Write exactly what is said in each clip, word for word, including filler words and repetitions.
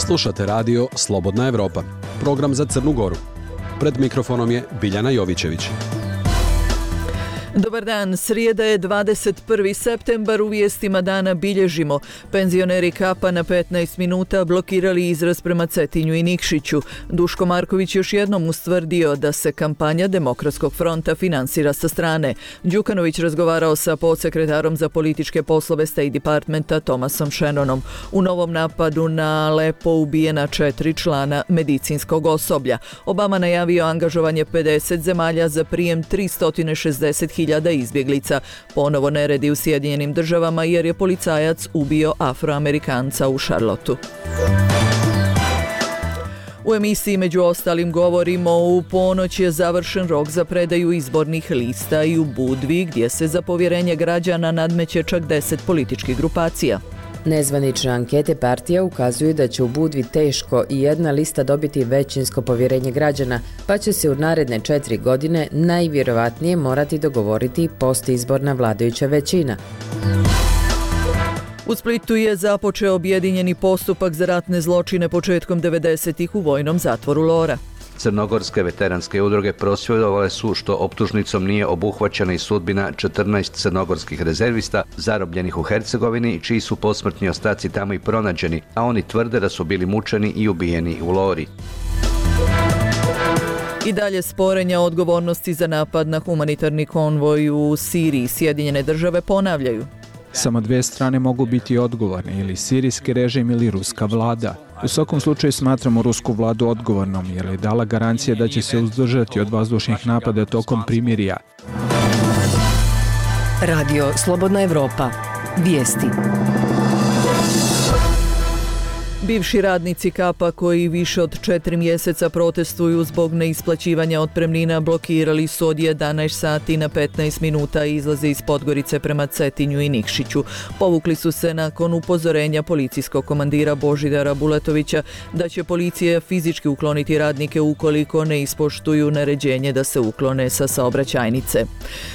Slušate radio Slobodna Evropa, program za Crnu Goru. Pred mikrofonom je Biljana Jovićević. Dobar dan, srijeda je dvadeset prvi septembar, u vijestima dana bilježimo. Penzioneri Kapa na petnaest minuta blokirali izraz prema Cetinju i Nikšiću. Duško Marković još jednom ustvrdio da se kampanja Demokratskog fronta finansira sa strane. Đukanović razgovarao sa podsekretarom za političke poslove State Departmenta Thomasom Shannonom. U novom napadu na Alepo ubijena četiri člana medicinskog osoblja. Obama najavio angažovanje pedeset zemalja za prijem tristo šezdeset hiljada izbjeglica. Ponovo neredi u Sjedinjenim državama jer je policajac ubio Afroamerikanca u Charlotteu. U emisiji među ostalim govorimo u ponoć je završen rok za predaju izbornih lista i u Budvi gdje se za povjerenje građana nadmeće čak deset političkih grupacija. Nezvanične ankete partija ukazuju da će u Budvi teško i jedna lista dobiti većinsko povjerenje građana, pa će se u naredne četiri godine najvjerovatnije morati dogovoriti postizborna vladajuća većina. U Splitu je započeo objedinjeni postupak za ratne zločine početkom devedesetih u vojnom zatvoru Lora. Crnogorske veteranske udruge prosvjedovale su što optužnicom nije obuhvaćena i sudbina četrnaest crnogorskih rezervista zarobljenih u Hercegovini, čiji su posmrtni ostaci tamo i pronađeni, a oni tvrde da su bili mučeni i ubijeni u Lori. I dalje sporenja o odgovornosti za napad na humanitarni konvoj u Siriji. Sjedinjene države ponavljaju. Samo dvije strane mogu biti odgovorne, ili sirijski režim ili ruska vlada. U svakom slučaju smatramo rusku vladu odgovornom jer je dala garancije da će se uzdržati od vazdušnih napada tokom primirja. Radio Slobodna Evropa. Vijesti. Bivši radnici Kapa koji više od četiri mjeseca protestuju zbog neisplaćivanja otpremnina blokirali su od jedanaest sati na petnaest minuta i izlaze iz Podgorice prema Cetinju i Nikšiću. Povukli su se nakon upozorenja policijskog komandira Božidara Bulatovića da će policija fizički ukloniti radnike ukoliko ne ispoštuju naređenje da se uklone sa saobraćajnice.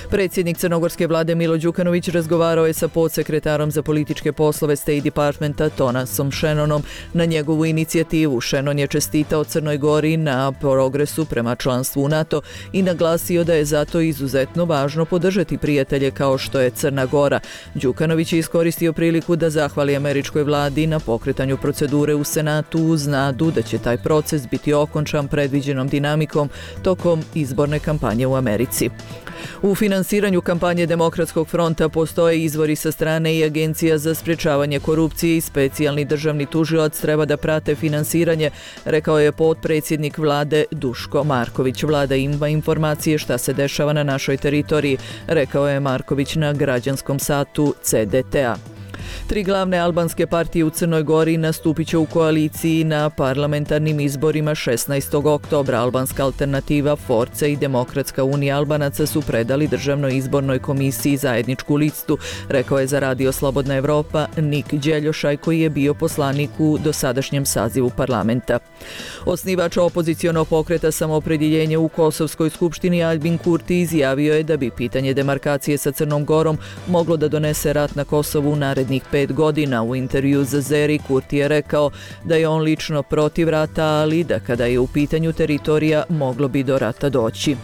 Predsjednik crnogorske vlade Milo Đukanović razgovarao je sa podsekretarom za političke poslove State Departmenta Thomasom Shannonom na njegovu inicijativu. Shannon je čestitao Crnoj Gori na progresu prema članstvu u NATO i naglasio da je zato izuzetno važno podržati prijatelje kao što je Crna Gora. Đukanović je iskoristio priliku da zahvali američkoj vladi na pokretanju procedure u Senatu uz nadu da će taj proces biti okončan predviđenom dinamikom tokom izborne kampanje u Americi. U finansiranju kampanje Demokratskog fronta postoje izvori sa strane i Agencija za sprječavanje korupcije i specijalni državni tužilac treba da prate finansiranje, rekao je potpredsjednik vlade Duško Marković. Vlada ima informacije šta se dešava na našoj teritoriji, rekao je Marković na građanskom satu C D T A. Tri glavne albanske partije u Crnoj Gori nastupit će u koaliciji na parlamentarnim izborima šesnaestog oktobra. Albanska alternativa, Force i Demokratska unija Albanaca su predali Državnoj izbornoj komisiji zajedničku listu, rekao je za radio Slobodna Evropa Nik Đeljošaj koji je bio poslanik u dosadašnjem sazivu parlamenta. Osnivač opozicionog pokreta Samoopredjeljenje u Kosovskoj skupštini Albin Kurti izjavio je da bi pitanje demarkacije sa Crnom Gorom moglo da donese rat na Kosovu u narednih pet godina. U intervju za Zeri Kurti je rekao da je on lično protiv rata, ali da kada je u pitanju teritorija moglo bi do rata doći.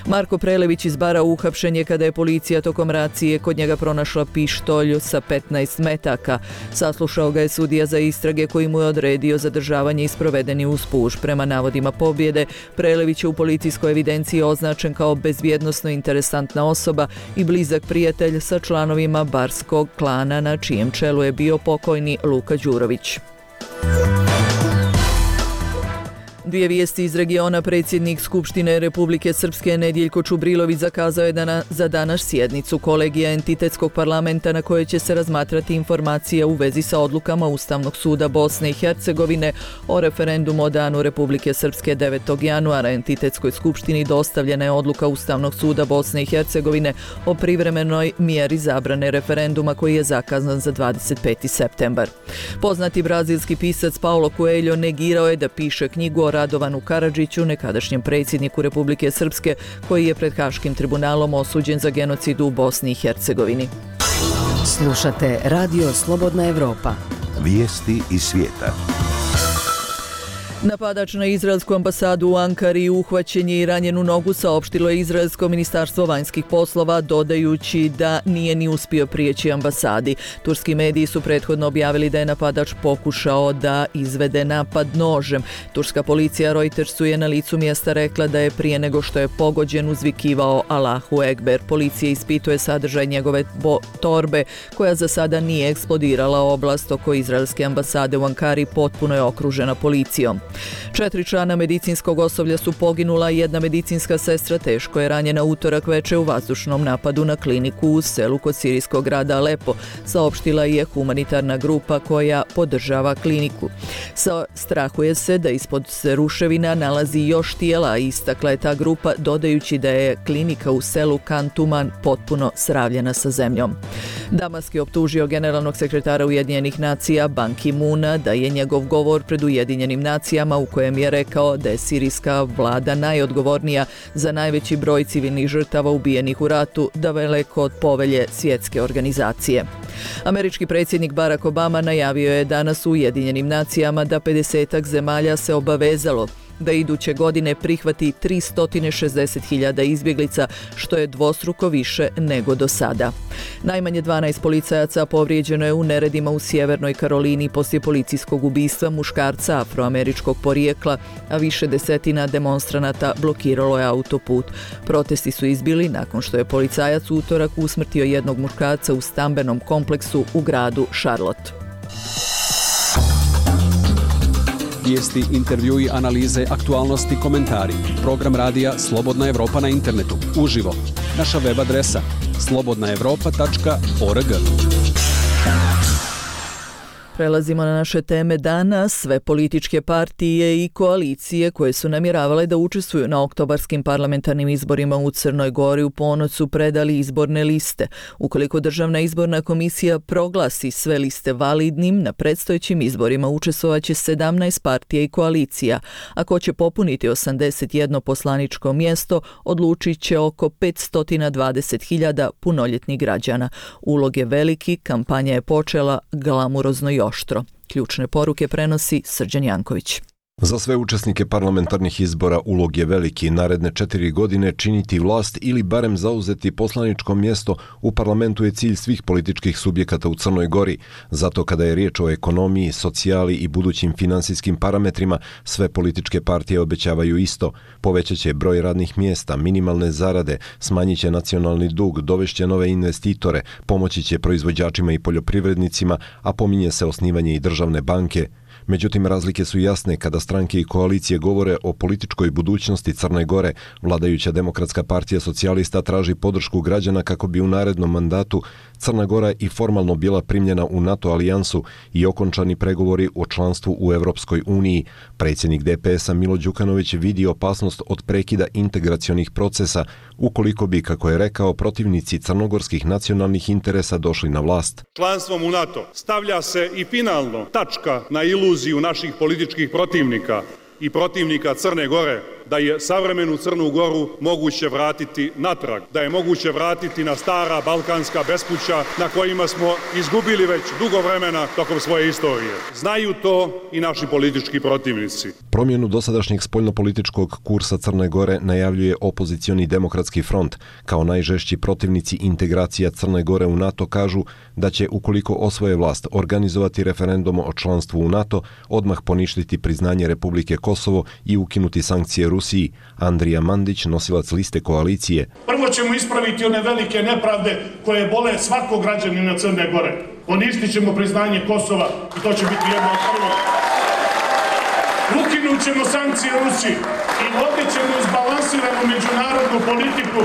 Marko Prelević iz Bara uhapšen je kada je policija tokom racije kod njega pronašla pištolj sa petnaest metaka. Saslušao ga je sudija za istrage koji mu je odredio zadržavanje i sprovedeni uz puš. Prema navodima Pobjede, Prelević je u policijskoj evidenciji označen kao bezbjednosno interesantna osoba i blizak prijatelj sa članovima barskog klana na čijem čelu je bio pokojni Luka Đurović. Dvije vijesti iz regiona. Predsjednik Skupštine Republike Srpske Nedjeljko Čubrilović zakazao je dana, za danas sjednicu kolegija entitetskog parlamenta na kojoj će se razmatrati informacija u vezi sa odlukama Ustavnog suda Bosne i Hercegovine o referendumu o danu Republike Srpske devetog januara. Entitetskoj skupštini dostavljena je odluka Ustavnog suda Bosne i Hercegovine o privremenoj mjeri zabrane referenduma koji je zakazan za dvadeset peti septembar. Poznati brazilski pisac Paulo Coelho negirao je da piše knjigu o Radovanu Karadžiću, nekadašnjem predsjedniku Republike Srpske, koji je pred Haškim tribunalom osuđen za genocid u Bosni i Hercegovini. Slušate Radio Slobodna Evropa. Vijesti iz svijeta. Napadač na izraelsku ambasadu u Ankari uhvaćen je i ranjen u nogu, saopštilo je izraelsko ministarstvo vanjskih poslova, dodajući da nije ni uspio prijeći ambasadi. Turski mediji su prethodno objavili da je napadač pokušao da izvede napad nožem. Turska policija Reutersu je na licu mjesta rekla da je prije nego što je pogođen uzvikivao Allahu Ekber. Policija ispituje sadržaj njegove torbe, koja za sada nije eksplodirala. Oblast oko izraelske ambasade u Ankari potpuno je okružena policijom. Četiri člana medicinskog osoblja su poginula, jedna medicinska sestra teško je ranjena utorak veče u vazdušnom napadu na kliniku u selu kod sirijskog grada Alepo, saopštila je humanitarna grupa koja podržava kliniku. Sa strahuje se da ispod se ruševina nalazi još tijela, istakla je ta grupa, dodajući da je klinika u selu Kantuman potpuno sravljena sa zemljom. Damask je optužio generalnog sekretara Ujedinjenih nacija Ban Ki-moona da je njegov govor pred Ujedinjenim nacijama u kojem je rekao da je sirijska vlada najodgovornija za najveći broj civilnih žrtava ubijenih u ratu, daleko od povelje svjetske organizacije. Američki predsjednik Barack Obama najavio je danas u Ujedinjenim nacijama da pedesetak zemalja se obavezalo da iduće godine prihvati tristo šezdeset hiljada izbjeglica, što je dvostruko više nego do sada. Najmanje dvanaest policajaca povrijeđeno je u neredima u Sjevernoj Karolini poslije policijskog ubistva muškarca afroameričkog porijekla, a više desetina demonstranata blokiralo je autoput. Protesti su izbili nakon što je policajac u utorak usmrtio jednog muškarca u stambenom kompleksu u gradu Charlotte. Vijesti, intervjui, analize, aktualnosti, komentari. Program radija Slobodna Evropa na internetu. Uživo. Naša web adresa slobodna evropa tačka org. Prelazimo na naše teme dana. Sve političke partije i koalicije koje su namjeravale da učestvuju na oktobarskim parlamentarnim izborima u Crnoj Gori u ponoć su predali izborne liste. Ukoliko Državna izborna komisija proglasi sve liste validnim, na predstojećim izborima učestvovaće sedamnaest partija i koalicija. Ako će popuniti osamdeset jedno poslaničko mjesto, odlučit će oko petsto dvadeset hiljada punoljetnih građana. Ulog je veliki, kampanja je počela glamurozno i oštro. Ključne poruke prenosi Srđan Janković. Za sve učesnike parlamentarnih izbora ulog je veliki. Naredne četiri godine činiti vlast ili barem zauzeti poslaničko mjesto u parlamentu je cilj svih političkih subjekata u Crnoj Gori. Zato kada je riječ o ekonomiji, socijali i budućim finansijskim parametrima, sve političke partije obećavaju isto. Povećat će broj radnih mjesta, minimalne zarade, smanjit će nacionalni dug, dovešće nove investitore, pomoći će proizvođačima i poljoprivrednicima, a pominje se osnivanje i državne banke. Međutim, razlike su jasne kada stranke i koalicije govore o političkoj budućnosti Crne Gore. Vladajuća Demokratska partija socijalista traži podršku građana kako bi u narednom mandatu Crna Gora i formalno bila primljena u NATO alijansu i okončani pregovori o članstvu u Europskoj uniji. Predsjednik D P S-a Milo Đukanović vidi opasnost od prekida integracionih procesa ukoliko bi, kako je rekao, protivnici crnogorskih nacionalnih interesa došli na vlast. Članstvom u NATO stavlja se i finalno tačka na iluziju naših političkih protivnika i protivnika Crne Gore da je savremenu Crnu Goru moguće vratiti natrag, da je moguće vratiti na stara balkanska bespuća na kojima smo izgubili već dugo vremena tokom svoje istorije. Znaju to i naši politički protivnici. Promjenu dosadašnjeg spoljnopolitičkog kursa Crne Gore najavljuje opozicioni Demokratski front. Kao najžešći protivnici integracija Crne Gore u NATO kažu da će, ukoliko osvoje vlast, organizovati referendum o članstvu u NATO, odmah poništiti priznanje Republike Kosovo i ukinuti sankcije Rusiji. Andrija Mandić, nosilac liste koalicije. Prvo ćemo ispraviti one velike nepravde koje bole svakog građanina Crne Gore. Poništit ćemo priznanje Kosova i to će biti jedno od prvog. Ukinut ćemo sankcije Rusiji i vodit ćemo izbalansiranu međunarodnu politiku.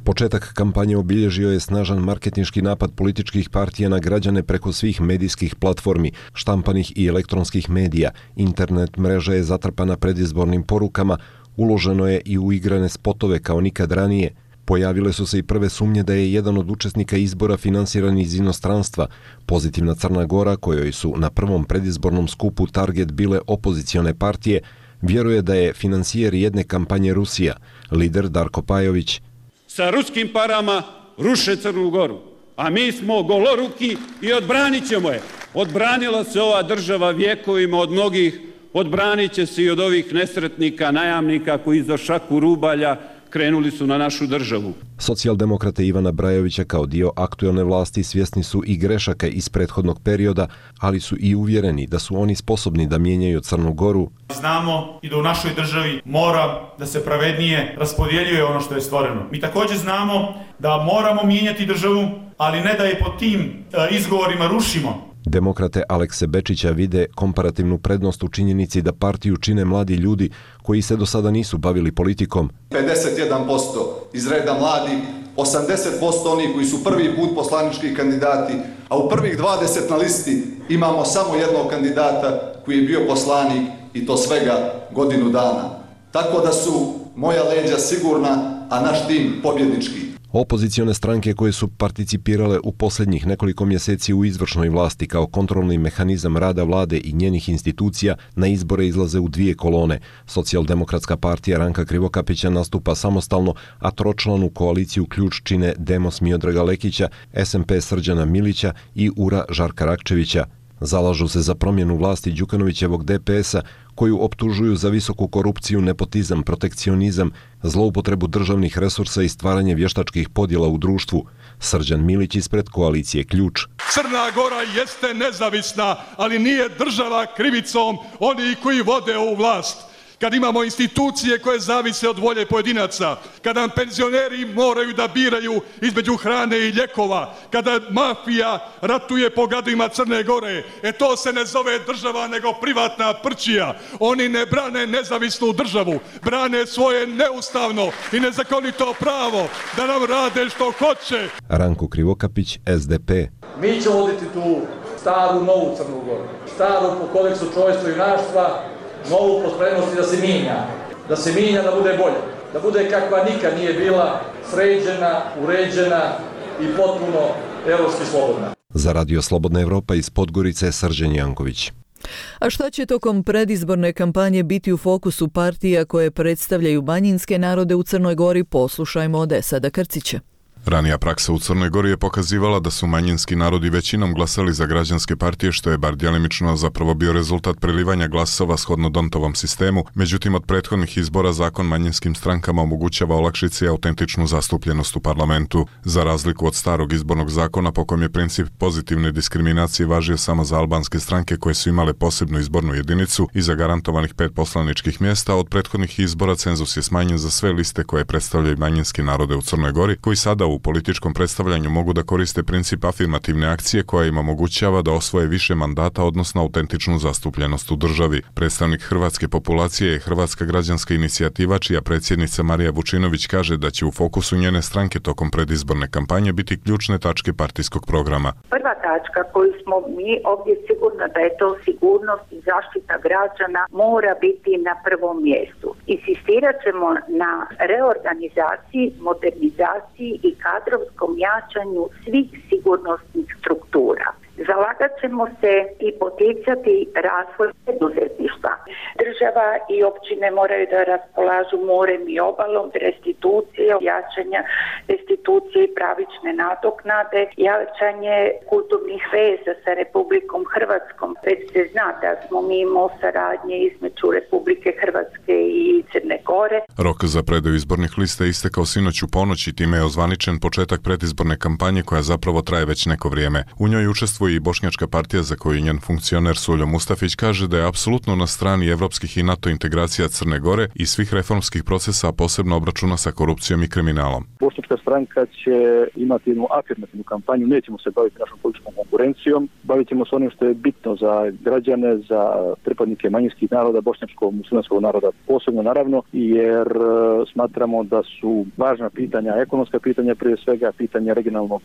Početak kampanje obilježio je snažan marketinški napad političkih partija na građane preko svih medijskih platformi, štampanih i elektronskih medija. Internet mreža je zatrpana predizbornim porukama, uloženo je i u igrane spotove kao nikad ranije. Pojavile su se i prve sumnje da je jedan od učesnika izbora finansiran iz inostranstva. Pozitivna Crna Gora, kojoj su na prvom predizbornom skupu target bile opozicione partije, vjeruje da je financijer jedne kampanje Rusija. Lider Darko Pajović: sa ruskim parama ruše Crnu Goru, a mi smo goloruki i odbranit ćemo je. Odbranila se ova država vjekovima od mnogih odbranit će se i od ovih nesretnika, najamnika koji za šaku rubalja krenuli su na našu državu. Socijaldemokrate Ivana Brajovića kao dio aktuelne vlasti svjesni su i grešaka iz prethodnog perioda, ali su i uvjereni da su oni sposobni da mijenjaju Crnu Goru. Znamo i da u našoj državi mora da se pravednije raspodjeljuje ono što je stvoreno. Mi također znamo da moramo mijenjati državu, ali ne da je pod tim izgovorima rušimo. Demokrate Alekse Bečića vide komparativnu prednost u činjenici da partiju čine mladi ljudi koji se do sada nisu bavili politikom. pedeset jedan posto iz reda mladih, osamdeset posto oni koji su prvi put poslanički kandidati, a u prvih dvadeset na listi imamo samo jednog kandidata koji je bio poslanik i to svega godinu dana. Tako da su moja leđa sigurna, a naš tim pobjednički. Opozicione stranke koje su participirale u posljednjih nekoliko mjeseci u izvršnoj vlasti kao kontrolni mehanizam rada vlade i njenih institucija na izbore izlaze u dvije kolone. Socijaldemokratska partija Ranka Krivokapića nastupa samostalno, a tročlanu koaliciju ključ čine Demos Miodraga Lekića, S M P Srđana Milića i U R A Žarka Rakčevića. Zalažu se za promjenu vlasti Đukanovićevog D P S-a, koju optužuju za visoku korupciju, nepotizam, protekcionizam, zloupotrebu državnih resursa i stvaranje vještačkih podjela u društvu. Srđan Milić ispred koalicije Ključ. Crna Gora jeste nezavisna, ali nije država krivicom oni koji vode ovu vlast. Kad imamo institucije koje zavise od volje pojedinaca, kada nam penzioneri moraju da biraju između hrane i ljekova, kada mafija ratuje po gradovima Crne Gore, e to se ne zove država nego privatna prčija. Oni ne brane nezavisnu državu, brane svoje neustavno i nezakonito pravo da nam rade što hoće. Ranko Krivokapić, S D P. Mi ćemo voditi tu staru, novu Crnu Goru, staru po kodeksu čovječstva i junaštva, novu po spremnosti da se mijenja, da se mijenja, da bude bolje, da bude kakva nikad nije bila, sređena, uređena i potpuno evropski slobodna. Za Radio Slobodna Evropa iz Podgorice, Srđan Janković. A šta će tokom predizborne kampanje biti u fokusu partija koje predstavljaju manjinske narode u Crnoj Gori, poslušajmo od Esada Krcića. Ranija praksa u Crnoj Gori je pokazivala da su manjinski narodi većinom glasali za građanske partije, što je bar djelimično zapravo bio rezultat prelivanja glasova shodno Dontovom sistemu. Međutim, od prethodnih izbora zakon manjinskim strankama omogućava olakšice i autentičnu zastupljenost u parlamentu. Za razliku od starog izbornog zakona po kojem je princip pozitivne diskriminacije važio samo za albanske stranke koje su imale posebnu izbornu jedinicu i zagarantovanih pet poslaničkih mjesta, od prethodnih izbora cenzus je smanjen za sve liste koje predstavljaju manjinske narode u Crnoj Gori, koji sada u političkom predstavljanju mogu da koriste princip afirmativne akcije koja im omogućava da osvoje više mandata, odnosno autentičnu zastupljenost u državi. Predstavnik hrvatske populacije je Hrvatska građanska inicijativa, čija predsjednica Marija Vučinović kaže da će u fokusu njene stranke tokom predizborne kampanje biti ključne tačke partijskog programa. Prva tačka koju smo mi ovdje sigurno da je to sigurnost i zaštita građana mora biti na prvom mjestu. Insistirat ćemo na reorganizaciji, modernizaciji i kadrovskom jačanju svih sigurnosnih struktura. Zalagat ćemo se i poticati razvoj poduzetništva. Država i općine moraju da raspolažu morem i obalom, restitucije, jačanja restitucije i pravične nadoknade, jačanje kulturnih veza sa Republikom Hrvatskom. Već se zna da smo mi imali saradnje između Republike Hrvatske i Crne Gore. Rok za predaju izbornih lista je istekao sinoć u ponoć i time je ozvaničen početak predizborne kampanje koja zapravo traje već neko vrijeme. U njoj učestvuje i Bošnjačka partija, za koju njen funkcioner Suljo Mustafić kaže da je apsolutno na strani evropskih i NATO integracija Crne Gore i svih reformskih procesa, a posebno obračuna sa korupcijom i kriminalom. Bošnjačka stranka će imati jednu afirmativnu kampanju, nećemo se baviti našom političkom konkurencijom, bavit ćemo se onim što je bitno za građane, za pripadnike manjinskih naroda, bošnjačkog muslimanskog naroda posebno naravno, jer smatramo da su važna pitanja, ekonomska pitanja prije svega, pitanja regionalnog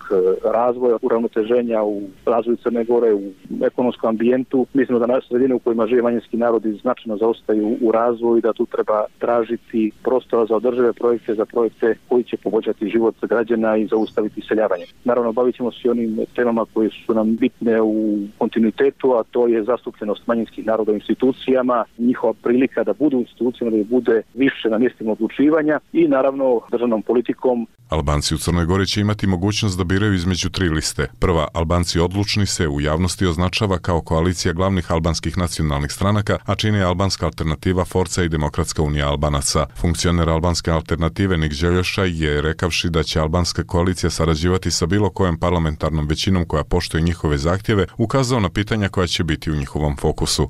razvoja, uravnoteženja u razvoju Crne Gore, u ekonomskom ambijentu. Mislimo da naše sredine u kojima žive manjinski narodi značajno zaostaju u razvoju i da tu treba tražiti prostora za održive projekte, za projekte koji će poboljšati život građana i zaustaviti iseljavanje. Naravno, bavit ćemo se i onim temama koje su nam bitne u kontinuitetu, a to je zastupljenost manjinskih naroda u institucijama, njihova prilika da budu u institucijama, da bude više na mjestima odlučivanja i naravno državnom politikom. Albanci u Crnoj Gori će imati mogućnost da biraju između tri liste. Prva, Albanci odlučni, oni se u javnosti označava kao koalicija glavnih albanskih nacionalnih stranaka, a čini albanska alternativa Forca i Demokratska unija Albanaca. Funkcioner albanske alternative Nik Željošaj je rekavši da će albanska koalicija sarađivati sa bilo kojom parlamentarnom većinom koja poštuje njihove zahtjeve, ukazao na pitanja koja će biti u njihovom fokusu.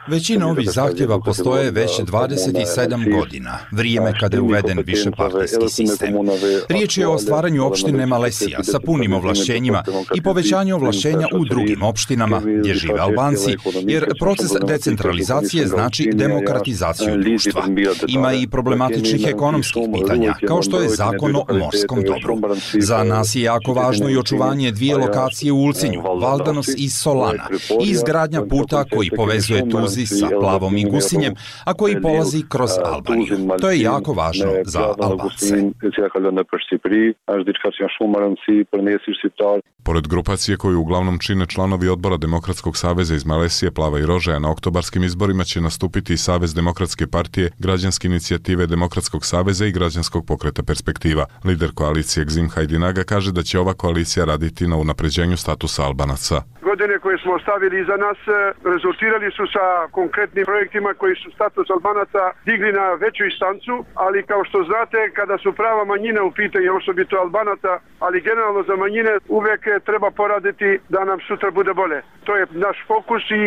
Većina ovih zahtjeva postoje već dvadeset sedam godina, vrijeme kada je uveden višepartijski sistem. Riječ je o stvaranju opštine Malesija sa punim ovlašćenjima i povećanju ovlašćenja u drugim opštinama gdje žive Albanci, jer proces decentralizacije znači demokratizaciju društva. Ima i problematičnih ekonomskih pitanja, kao što je zakon o morskom dobru. Za nas je jako važno i očuvanje dvije lokacije u Ulcinju, Valdanos i Solana, i izgradnja puta koji povezuje Tuzi sa Plavom i Gusinjem, a koji polazi kroz Albaniju. To je jako važno za Albance. Pored grupacije koju uglavnom čine članovi odbora Demokratskog saveza iz Malesije, Plava i Rožaja, na oktobarskim izborima će nastupiti i Savez Demokratske partije, Građanske inicijative Demokratskog saveza i Građanskog pokreta Perspektiva. Lider koalicije Gzim Hajdinaga kaže da će ova koalicija raditi na unapređenju statusa Albanaca. Godine koje smo ostavili iza nas rezultirali su sa konkretnim projektima koji su status Albanaca digli na veću instancu, ali kao što znate, kada su prava manjina u pitanju, osobito Albanaca, ali generalno za manjine, uvijek treba poraditi da nam sutra bude bolje. To je naš fokus i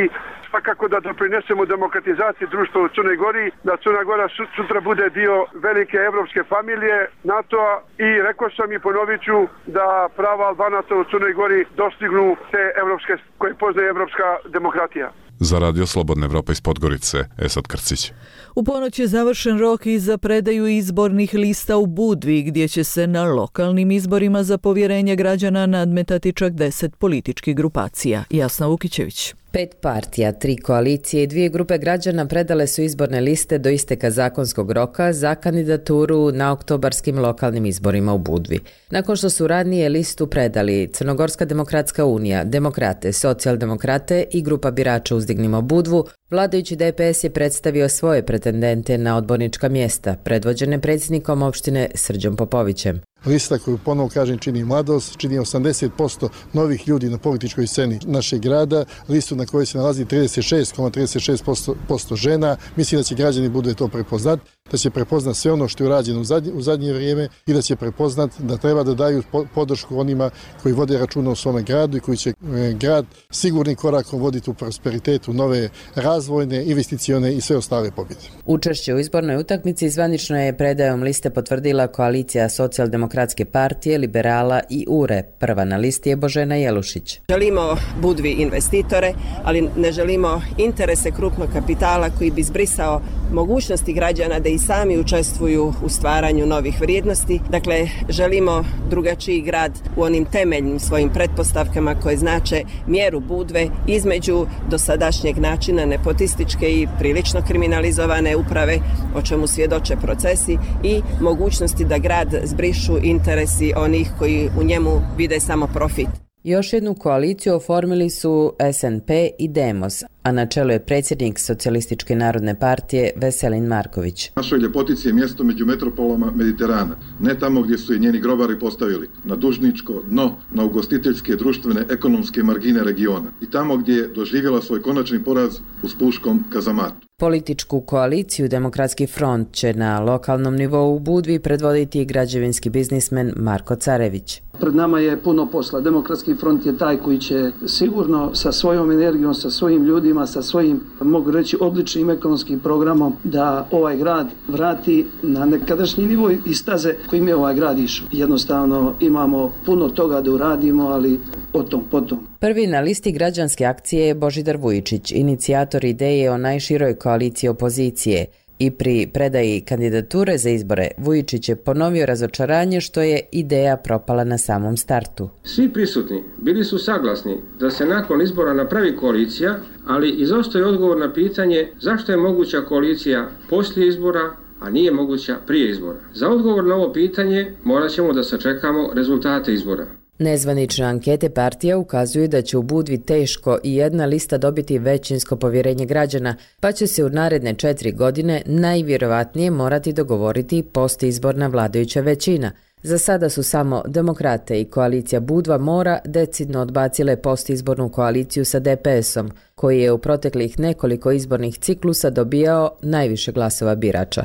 svakako da doprinesemo demokratizaciji društva u Crnoj Gori, da Crna Gora sutra bude dio velike evropske familije NATO-a i rekao sam i ponovit ću da prava Albanaca u Crnoj Gori dostignu te evropske koje poznaje evropska demokratija. Za Radio Slobodna Evropa iz Podgorice, Esad Krcić. U ponoć je završen rok i za predaju izbornih lista u Budvi, gdje će se na lokalnim izborima za povjerenje građana nadmetati čak deset političkih grupacija. Jasna Vukićević. Pet partija, tri koalicije i dvije grupe građana predale su izborne liste do isteka zakonskog roka za kandidaturu na oktobarskim lokalnim izborima u Budvi. Nakon što su ranije listu predali Crnogorska demokratska unija, Demokrate, Socijaldemokrate i grupa birača Uzdignimo Budvu, vladajući D P S je predstavio svoje pretendente na odbornička mjesta, predvođene predsjednikom opštine Srđom Popovićem. Lista koju ponovo kažem čini mladost, čini osamdeset posto novih ljudi na političkoj sceni našeg grada, listu na kojoj se nalazi trideset šest zarez trideset šest posto žena. Mislim da će građani bude to prepoznat, da će prepoznat sve ono što je urađeno u zadnje, u zadnje vrijeme i da će prepoznat da treba da daju podršku onima koji vode računa u svome gradu i koji će grad sigurnim korakom voditi u prosperitetu, nove razvojne, investicione i sve ostale pobjede. Učešće u izbornoj utakmici zvanično je predajom liste potvrdila koalicija Socijaldemokratske partije, Liberala i U R E. Prva na listi je Božena Jelušić. Želimo Budvi investitore, ali ne želimo interese krupnog kapitala koji bi zbrisao mogućnosti građana da i sami učestvuju u stvaranju novih vrijednosti. Dakle, želimo drugačiji grad u onim temeljnim svojim pretpostavkama koje znače mjeru Budve između dosadašnjeg načina nepotističke i prilično kriminalizovane uprave, o čemu svjedoče procesi, i mogućnosti da grad zbrišu interesi onih koji u njemu vide samo profit. Još jednu koaliciju oformili su S N P i Demos, a na čelu je predsjednik Socijalističke narodne partije Veselin Marković. Našoj ljepotici je mjesto među metropolama Mediterana, ne tamo gdje su je njeni grobari postavili, na dužničko dno, na ugostiteljske, društvene, ekonomske margine regiona i tamo gdje je doživjela svoj konačni poraz u spuškom kazamatu. Političku koaliciju Demokratski front će na lokalnom nivou u Budvi predvoditi građevinski biznismen Marko Carević. Pred nama je puno posla. Demokratski front je taj koji će sigurno sa svojom energijom, sa svojim ljudima, sa svojim, mogu reći, odličnim ekonomskim programom da ovaj grad vrati na nekadašnji nivo i staze kojim je ovaj grad išao. Jednostavno imamo puno toga da uradimo, ali o tom potom. Prvi na listi građanske akcije je Božidar Vujičić, inicijator ideje o najširoj koaliciji opozicije. I pri predaji kandidature za izbore Vujičić je ponovio razočaranje što je ideja propala na samom startu. Svi prisutni bili su saglasni da se nakon izbora napravi koalicija, ali izostaje odgovor na pitanje zašto je moguća koalicija poslije izbora, a nije moguća prije izbora. Za odgovor na ovo pitanje morat ćemo da sačekamo rezultate izbora. Nezvanične ankete partija ukazuju da će u Budvi teško i jedna lista dobiti većinsko povjerenje građana, pa će se u naredne četiri godine najvjerovatnije morati dogovoriti postizborna vladajuća većina. Za sada su samo Demokrate i koalicija Budva Mora decidno odbacile postizbornu koaliciju sa D P S-om, koji je u proteklih nekoliko izbornih ciklusa dobijao najviše glasova birača.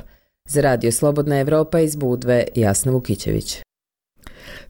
Za Radio Slobodna Evropa iz Budve, Jasna Vukićević.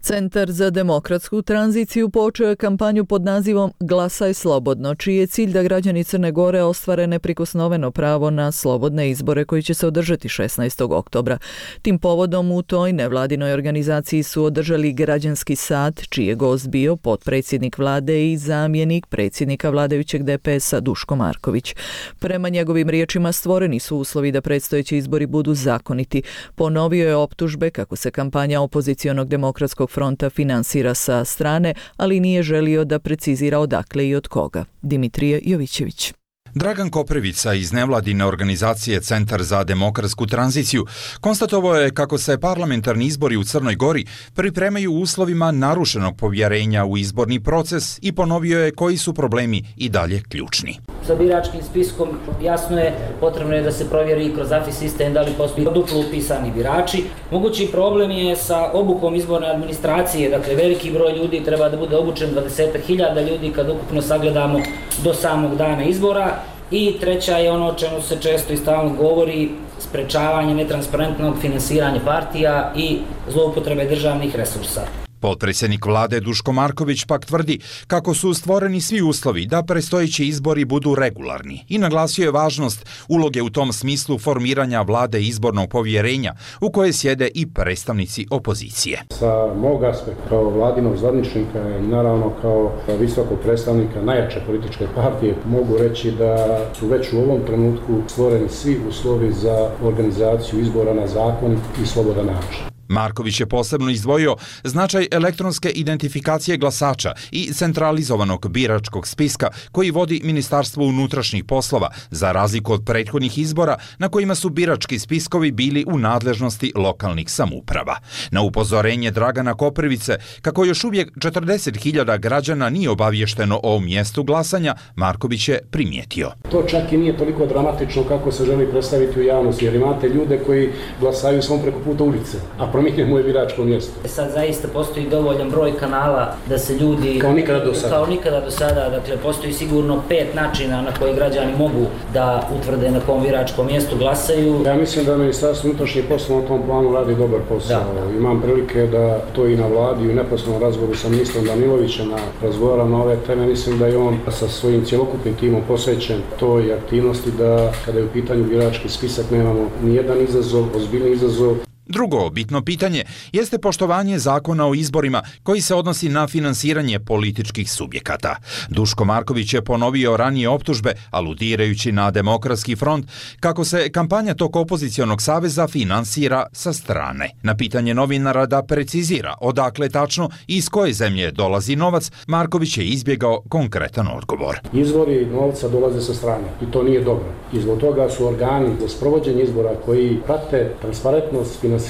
Centar za demokratsku tranziciju počeo je kampanju pod nazivom Glasaj slobodno, čiji je cilj da građani Crne Gore ostvare neprikosnoveno pravo na slobodne izbore koji će se održati šesnaestog oktobra. Tim povodom u toj nevladinoj organizaciji su održali građanski sat, čiji je gost bio potpredsjednik vlade i zamjenik predsjednika vladajućeg D P S-a Duško Marković. Prema njegovim riječima stvoreni su uslovi da predstojeći izbori budu zakoniti. Ponovio je optužbe kako se kampanja opozicionog demokratskog fronta finansira sa strane, ali nije želio da precizira odakle i od koga. Dimitrije Jovićević. Dragan Koprivica iz nevladine organizacije Centar za demokratsku tranziciju konstatovao je kako se parlamentarni izbori u Crnoj Gori pripremaju u uslovima narušenog povjerenja u izborni proces i ponovio je koji su problemi i dalje ključni. Sa biračkim spiskom jasno je, potrebno je da se provjeri kroz A F I sistem da li postoji duplo upisani birači. Mogući problem je sa obukom izborne administracije, dakle veliki broj ljudi treba da bude obučen, dvadeset hiljada ljudi kad ukupno sagledamo do samog dana izbora. I treća je ono o čemu se često i stalno govori, sprečavanje netransparentnog finansiranja partija i zloupotrebe državnih resursa. Potpredsjednik vlade Duško Marković pak tvrdi kako su stvoreni svi uslovi da predstojeći izbori budu regularni i naglasio je važnost uloge u tom smislu formiranja vlade izbornog povjerenja u koje sjede i predstavnici opozicije. Sa mog aspekta kao vladinog zvaničnika i naravno kao visokog predstavnika najjače političke partije mogu reći da su već u ovom trenutku stvoreni svi uslovi za organizaciju izbora na zakonit i slobodan način. Marković je posebno izdvojio značaj elektronske identifikacije glasača i centralizovanog biračkog spiska koji vodi Ministarstvo unutrašnjih poslova, za razliku od prethodnih izbora na kojima su birački spiskovi bili u nadležnosti lokalnih samouprava. Na upozorenje Dragana Koprivice, kako još uvijek četrdeset hiljada građana nije obavješteno o mjestu glasanja, Marković je primijetio. To čak i nije toliko dramatično kako se želi predstaviti u javnosti, jer imate ljude koji glasaju svom preko puta ulice, a promijenjeno je biračko mjesto. Sad zaista postoji dovoljan broj kanala da se ljudi... Kao nikada do sada. Kao nikada do sada, dakle postoji sigurno pet načina na koji građani mogu da utvrde na kom biračkom mjestu glasaju. Ja mislim da Ministarstvo unutrašnjih poslova na tom planu radi dobar posao. Da. Imam prilike da to i na vladi i u neposrednom razgovoru sa ministrom Danilovićem razgovaram na ove teme. Mislim da je on sa svojim cjelokupnim timom posvećen toj aktivnosti da kada je u pitanju birački spisak nemamo ni jedan izazov, ozbiljni izazov. Drugo bitno pitanje jeste poštovanje zakona o izborima koji se odnosi na finansiranje političkih subjekata. Duško Marković je ponovio ranije optužbe, aludirajući na Demokratski front, kako se kampanja tog opozicionog saveza finansira sa strane. Na pitanje novinara da precizira odakle tačno i iz koje zemlje dolazi novac, Marković je izbjegao konkretan odgovor. Izvori novca dolaze sa strane i to nije dobro. I zbog toga su organi za sprovođenje izbora koji prate transparentnost finansiranja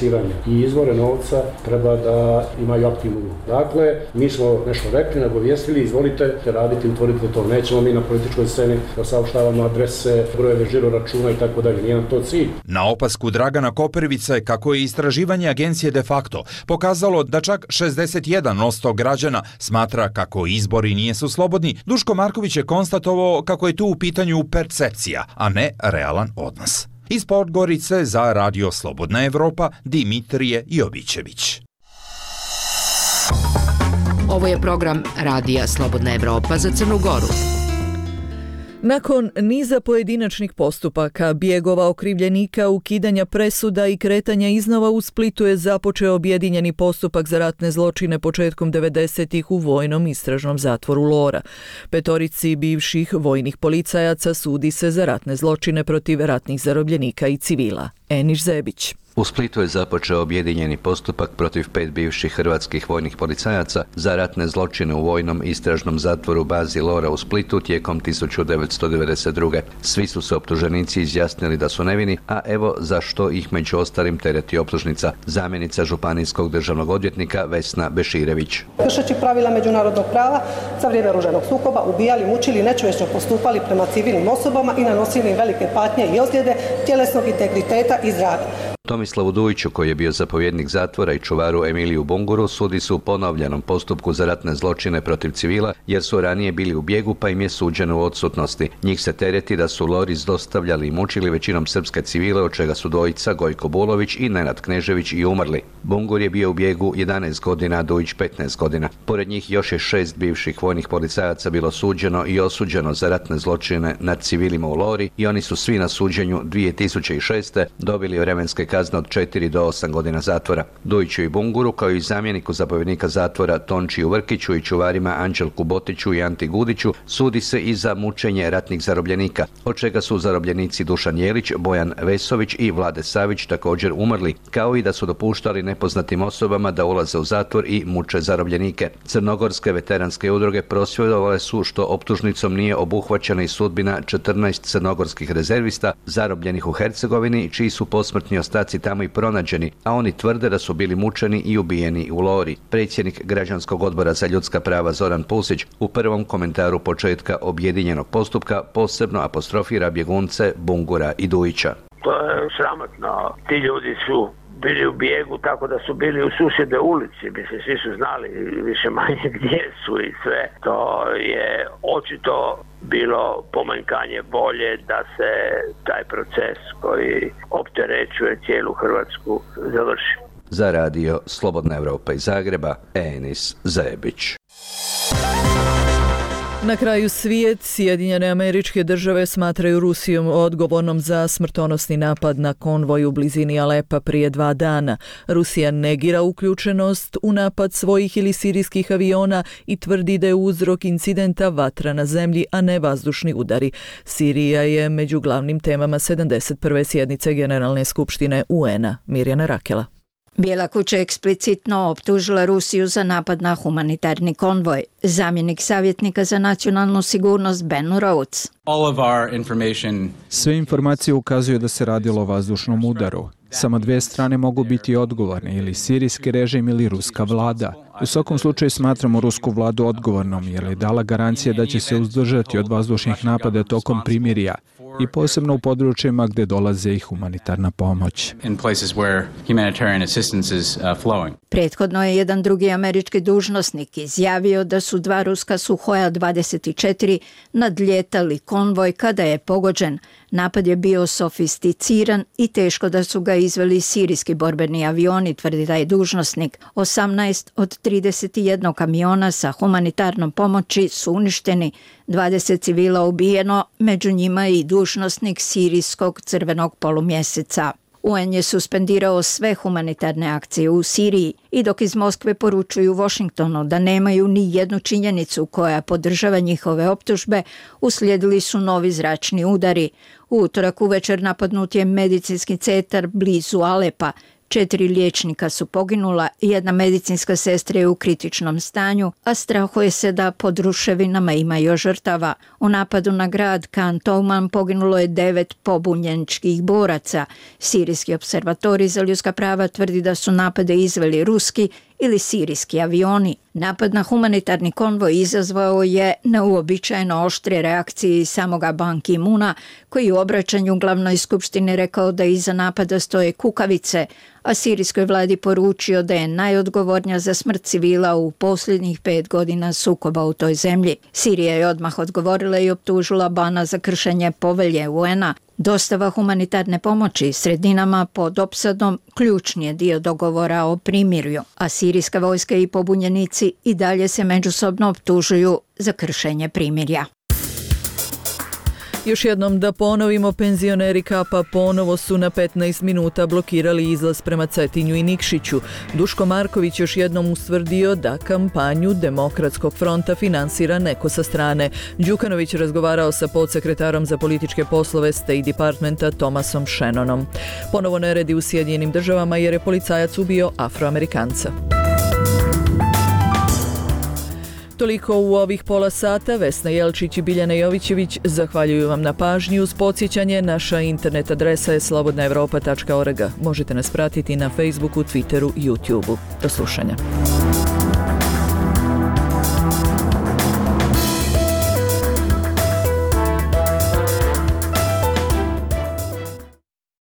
i izvore novca treba da imaju aktivnu ulogu. Dakle, mi smo nešto rekli, nagovijestili, izvolite raditi, utvorite to. Nećemo mi na političkoj sceni da saopštavamo adrese, brojeve žiro računa i tako dalje. Nije nam to cilj. Na opasku Dragana Koprivice, kako je istraživanje agencije de facto pokazalo da čak šezdeset jedan posto građana smatra kako izbori nisu slobodni, Duško Marković je konstatovao kako je tu u pitanju percepcija, a ne realan odnos. Iz Podgorice za Radio Slobodna Evropa, Dimitrije Jovićević. Ovo je program Radija Slobodna Evropa za Crnu Goru. Nakon niza pojedinačnih postupaka, bijegova okrivljenika, ukidanja presuda i kretanja iznova, u Splitu je započeo objedinjeni postupak za ratne zločine početkom devedesetih u vojnom istražnom zatvoru Lora. Petorici bivših vojnih policajaca sudi se za ratne zločine protiv ratnih zarobljenika i civila. Eniš Zebić. U Splitu je započeo objedinjeni postupak protiv pet bivših hrvatskih vojnih policajaca za ratne zločine u vojnom istražnom zatvoru bazi Lora u Splitu tijekom tisuću devetsto devedeset druge. Svi su se optuženici izjasnili da su nevini, a evo zašto ih među ostalim tereti optužnica zamjenica županijskog državnog odvjetnika Vesna Beširević. Kršeći pravila međunarodnog prava za vrijeme oružanog sukoba ubijali, mučili i nečovječno postupali prema civilnim osobama i nanosili im velike patnje i ozljede tjelesnog integriteta i zdravlja. Tomislavu Dujiću, koji je bio zapovjednik zatvora, i čuvaru Emiliju Bunguru sudi su u ponovljenom postupku za ratne zločine protiv civila, jer su ranije bili u bijegu pa im je suđeno u odsutnosti. Njih se tereti da su Lori zlostavljali i mučili većinom srpske civile, od čega su dvojica, Gojko Bulović i Nenad Knežević, i umrli. Bungur je bio u bijegu jedanaest godina, a Dujić petnaest godina. Pored njih još je šest bivših vojnih policajaca bilo suđeno i osuđeno za ratne zločine nad civilima u Lori i oni su svi na suđenju dvije tisuće šeste. dobili vremenske kazne od četiri do osam godina zatvora. Dujiću i Bunguru, kao i zamjeniku zapovjednika zatvora Tončiju Vrkiću i čuvarima Anđelku Botiću i Anti Gudiću, sudi se i za mučenje ratnih zarobljenika, od čega su zarobljenici Dušan Jelić, Bojan Vesović i Vlade Savić također umrli, kao i da su dopuštali nepoznatim osobama da ulaze u zatvor i muče zarobljenike. Crnogorske veteranske udruge prosvjedovale su što optužnicom nije obuhvaćena i sudbina četrnaest crnogorskih rezervista zarobljenih u Hercegovini, čiji su posmrtni ostaci tamo i pronađeni, a oni tvrde da su bili mučeni i ubijeni u Lori. Predsjednik Građanskog odbora za ljudska prava Zoran Pusić u prvom komentaru početka objedinjenog postupka posebno apostrofira bjegunce Bungura i Dujića. To je sramotno. Ti ljudi su bili u bijegu tako da su bili u susjedne ulici, mislim, svi su znali više manje gdje su i sve. To je očito bilo pomanjkanje volje da se taj proces koji opterećuje cijelu Hrvatsku završi. Za radio Slobodna Evropa iz Zagreba, Enis Zebić. Na kraju svijet, Sjedinjene Američke Države smatraju Rusijom odgovornom za smrtonosni napad na konvoj u blizini Alepa prije dva dana. Rusija negira uključenost u napad svojih ili sirijskih aviona i tvrdi da je uzrok incidenta vatra na zemlji, a ne vazdušni udari. Sirija je među glavnim temama sedamdeset prve sjednice Generalne skupštine U N A. Mirjana Rakela. Bijela kuća je eksplicitno optužila Rusiju za napad na humanitarni konvoj. Zamjenik savjetnika za nacionalnu sigurnost Ben Rhodes. Sve informacije ukazuju da se radilo o vazdušnom udaru. Samo dvije strane mogu biti odgovorne, ili sirijski režim ili ruska vlada. U svakom slučaju smatramo rusku vladu odgovornom jer je dala garancije da će se uzdržati od vazdušnih napada tokom primirja i posebno u područjima gdje dolaze i humanitarna pomoć. Prethodno je jedan drugi američki dužnosnik izjavio da su dva ruska Suhoja dvadeset četiri nadljetali konvoj kada je pogođen. Napad je bio sofisticiran i teško da su ga izveli sirijski borbeni avioni, tvrdi taj dužnosnik. osamnaest od trideset jedan kamiona sa humanitarnom pomoći su uništeni, dvadeset civila ubijeno, među njima i dužnosnik sirijskog crvenog polumjeseca. U N je suspendirao sve humanitarne akcije u Siriji i dok iz Moskve poručuju Washingtonu da nemaju ni jednu činjenicu koja podržava njihove optužbe, uslijedili su novi zračni udari. U utorak uvečer napadnut je medicinski centar blizu Alepa. Četiri liječnika su poginula, jedna medicinska sestra je u kritičnom stanju, a strahuje se da pod ruševinama ima još žrtava. U napadu na grad Khan Touman poginulo je devet pobunjeničkih boraca. Sirijski observatorij za ljudska prava tvrdi da su napade izveli ruski ili sirijski avioni. Napad na humanitarni konvoj izazvao je neuobičajeno oštre reakcije samoga Ban Ki-moona, koji u obraćanju glavnoj skupštini rekao da iza napada stoje kukavice, a sirijskoj vladi poručio da je najodgovornija za smrt civila u posljednjih pet godina sukoba u toj zemlji. Sirija je odmah odgovorila i optužila Bana za kršenje povelje U N A. Dostava humanitarne pomoći sredinama pod opsadom ključni je dio dogovora o primirju, a sirijska vojska i pobunjenici i dalje se međusobno optužuju za kršenje primirja. Još jednom da ponovimo, penzioneri Kapa ponovo su na petnaest minuta blokirali izlaz prema Cetinju i Nikšiću. Duško Marković još jednom ustvrdio da kampanju Demokratskog fronta finansira neko sa strane. Đukanović razgovarao sa podsekretarom za političke poslove State Departmenta Thomasom Shannonom. Ponovo neredi u Sjedinjenim državama jer je policajac ubio Afroamerikanca. Toliko u ovih pola sata. Vesna Jelčić i Biljana Jovićević zahvaljuju vam na pažnji. Uz podsjećanje, naša internet adresa je slobodna evropa tačka org. Možete nas pratiti na Facebooku, Twitteru i YouTubeu. Do slušanja.